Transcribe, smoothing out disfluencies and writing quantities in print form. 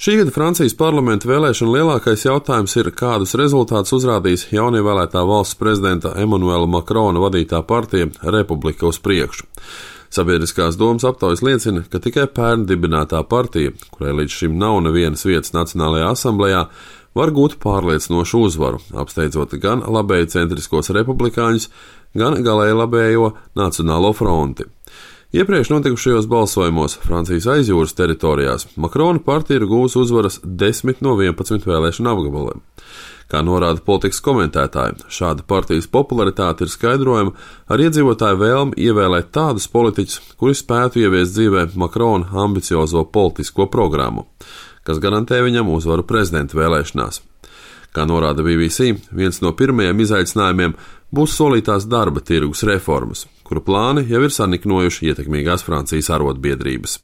Šī gada Francijas parlamenta vēlēšana lielākais jautājums ir, kādus rezultātus uzrādīs jaunievēlētā valsts prezidenta Emmanuela Macrona vadītā partija Republika uz priekšu. Sabiedriskās domas aptaujas liecina, ka tikai pērn dibinātā partija, kurai līdz šim nav nevienas vietas Nacionālajā asamblejā, var gūt pārliecinošu uzvaru, apsteidzot gan labēji centriskos republikāņus, gan galēji labējo Nacionālo fronti. Iepriekš notikušajos balsojumos Francijas aizjūras teritorijās Macrona partija ir gūs uzvaras 10 no 11 vēlēšanu apgabaliem. Kā norāda politikas komentētāji, šāda partijas popularitāte ir skaidrojama ar iedzīvotāju vēlmi ievēlēt tādus politiķus, kuri spētu ieviest dzīvē Macrona ambiciozo politisko programmu, kas garantē viņam uzvaru prezidenta vēlēšanās. Kā norāda BBC, viens no pirmajiem izaicinājumiem būs solītās darba tirgus reformas, kuru plāni jau ir saniknojuši ietekmīgās Francijas arotbiedrības.